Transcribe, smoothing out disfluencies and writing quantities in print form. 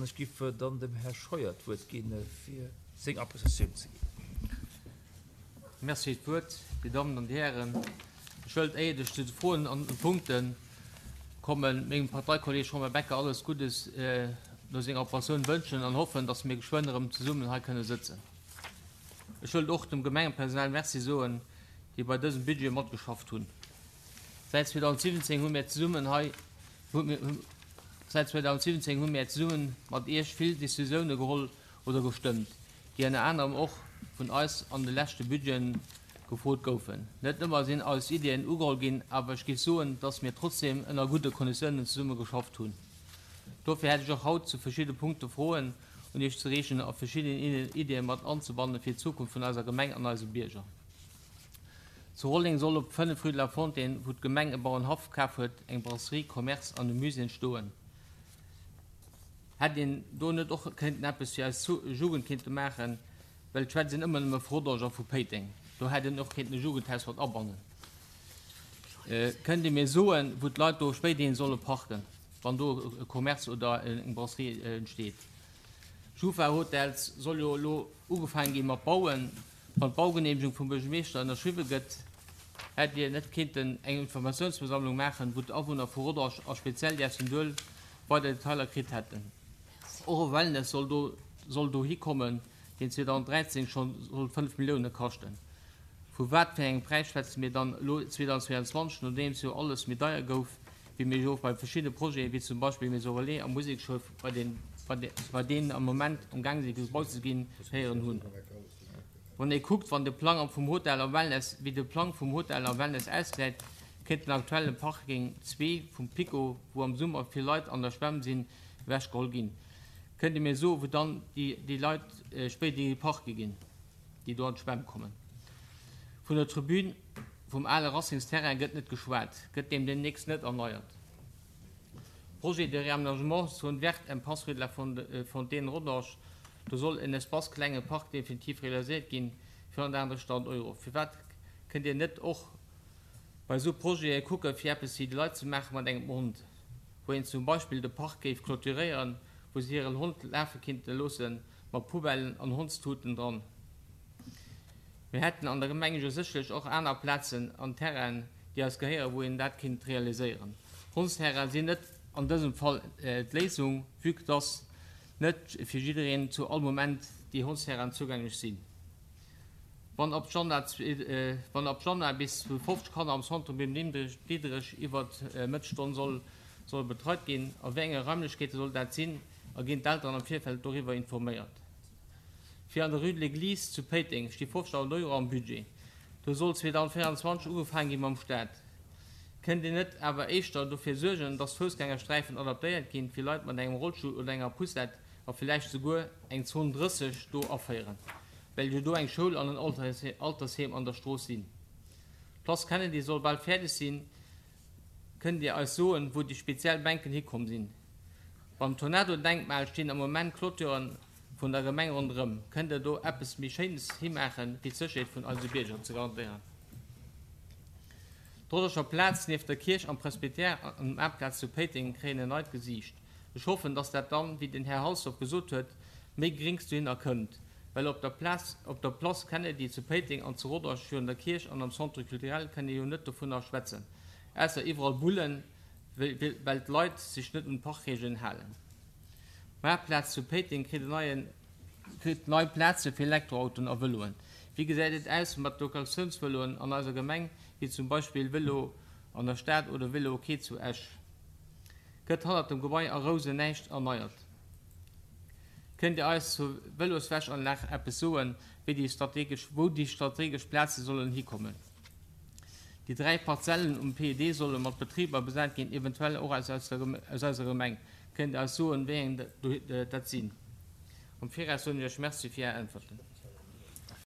An ech giff dann dem Här Scheuer d'Wuert ginn, fir seng Appréciatioun ze ginn. Merci fir d'Wuert, Dir Dammen an Dir Hären. Ech wëllt, éiert ech zu de Froen an den Punkte kommen, mengem Parteikolleg Romain Becker alles Guddes no senger Operatioun wënschen an hoffen, dass mir geschwënn erëm zesummen hei kënne sëtzen. Ech wëllt och dem Gemengepersonal Merci soen, déi bei dësem Budget matgeschafft hunn. Säit 2017 hu mir zesummen hei Säit 2017 hu mir zesumme mat Iech vill Decisioune geholl oder gestëmmt, déi ënner anerem och vun eis an de leschte Budgeten gefrot goufen. Net ëmmer sinn eis Iddien ugeholl ginn, awer ech géif soen, dass mir trotzdeem ënner gudde Konditiounen zesumme geschafft hunn. Dofir hätt ech och haut zu verschidde Punkte Froen un Iech ze riichten a verschidden Iddie mat anzebannen fir d'Zukunft vun eiser Gemeng an eise Bierger. Zu Rolleng soll op 5 rue de la Fontaine, wou d'Gemeng e Bauernhaff kaf huet, eng Brasserie, Commerce an e Musée entstoen. Hätt een do net och kéinten eppes fir eis Jugend kéinte maachen, well et schwätzt een ëmmer nëmme vu Rodange a vu Péiteng. Do hätt een och kéinten e Jugendhaus mat abannen. Kënnt Dir mir soen, wou d'Leit do spéiderhin solle parken, wann do e Commerce oder eng Brasserie entsteet? Schufa Hotels soll jo elo ugefaange gi mat bauen. Wann d'Baugeneemegung vum Buergermeeschter ënnerschriwwe gëtt, hätt Dir net kéinten eng Informatiounsversammlung maachen, wou d'Awunner vu Rodange a speziell déi aus dem Duel weider Detailer kritt hätten? Och e Wellness soll do soll dohi kommen, deen 2013 scho soll 5 Millioune kaschten. Vu wat fir engem Präis schwätze mir dann elo 2022, nodeems jo alles méi deier gouf, wéi mir jo och bei verschiddene Projete wéi zum Beispill Maison Relais a Musekschoul, bei bei deenen am Moment am gaang si gebaut ze ginn, héieren hunn? Wann ee kuckt, wann de Plang vum Hotel a Wellness, wéi de Plang vum Hotel a Wellness ausgesäit, kéint den aktuelle Parking 2 vum PiKo, wou am Summer vill Leit an der Schwämm sinn, ewechgeholl ginn. Kënnt Dir mir soen, wou dann déi Leit spéiderhi parke ginn, déi do an d'Schwämm kommen? Vun der Tribün vum ale Racingsterrain gëtt net geschwat. Gëtt deem deemnächst net erneiert? Projet de réaménagement zone verte impasse rue de la Fontaine Rodange, do soll en Espace klenge Park definitiv realiséiert ginn fir 138.000 Euro. Firwat kënnt Dir net och bei esou Projete kucke fir eppes fir déi Leit ze maache mat engem Hond, wou een zum Beispill de Park géif clôturéieren, wou se hiren Hond lafe kinnte loosse mat Poubellen an Hondstuten dran? Mir hätten an der Gemeng jo sécherlech och aner Plazen an Terrainen, déi eis gehéieren, wou een dat kinnt realiséieren. Hondsterraine sinn net an dësem Fall d'Léisung, vue que dass net fir jiddereen zu all Moment déi Hondsterrainen zougänglech sinn. Wann ab wann ab Januar bis zu 50 Kanner am Centre Bim Diderich iwwert Mëttesstonn soll solle betreit ginn, a wéi enge Raimlechkeete soll dat sinn a ginn d'Elteren am Virfeld doriwwer informéiert? Fir an der Rue de l'Eglise zu Péiteng sti 50.000 Euro am Budget. Do soll 2024 ugefaange gi mam Staat. Kënnt Dir net awer éischter dofir suergen, dass d'Foussgängersträifen adaptéiert ginn fir Leit mat engem Rollstull oder enger Poussette a villäicht souguer eng Zone 30 do aféieren, well jo do eng Schoul an en Altersheem an der Strooss sinn? D'Place Kennedy soll bal fäerdeg sinn. Kënnt Dir eis soen, wou déi speziell Bänken hikomm sinn? Beim Tornado-Denkmal stinn am Moment Clôturen vun der Gemeng ronderëm. Kënnt Der do eppes méi Schéines himaachen, fir d'Sécherheet vun eise Bierger ze garantéieren? D'Rodderscher Plaz nieft der Kierch am Presbytère an Maartplaz zu Péiteng kréien en neit Gesiicht. Ech hoffen, dass dat dann, wéi den Här Halsdorf gesot huet, méi Gréngs dohinner kënnt, well op der Plaz, op der Place Kennedy zu Péiteng an zu Rodange virun der Kierch an am Centre culturel kënn ee jo net dovunner schwätzen, ausser iwwerall Bullen, well d'Leit sech net un d'Parkregeln halen. D'Maartplaz zu Péiteng kritt en neien, kritt nei Plaze fir Elektroautoen a Vëloen. Wéi gesäit et aus mat Locatiounsvëloen an eiser Gemeng, wéi zum Beispill Vëlo an der Stad oder Vëlo Ok zu Esch? Gëtt hannert dem Gebai a Rousen näischt erneiert? Kënnt Dir eis zur Vëloswäschanlag eppes soen, wéi déi strategesch, wou déi strategesch Plaze sollen hikommen? Déi 3 Parzellen um PED solle mat Betriber besat ginn, eventuell och aus eiser Gemeng. Kënnt Dir eis soen, wéi eng dat sinn? Am Viraus soen ech Iech Merci fir Är Äntwerten.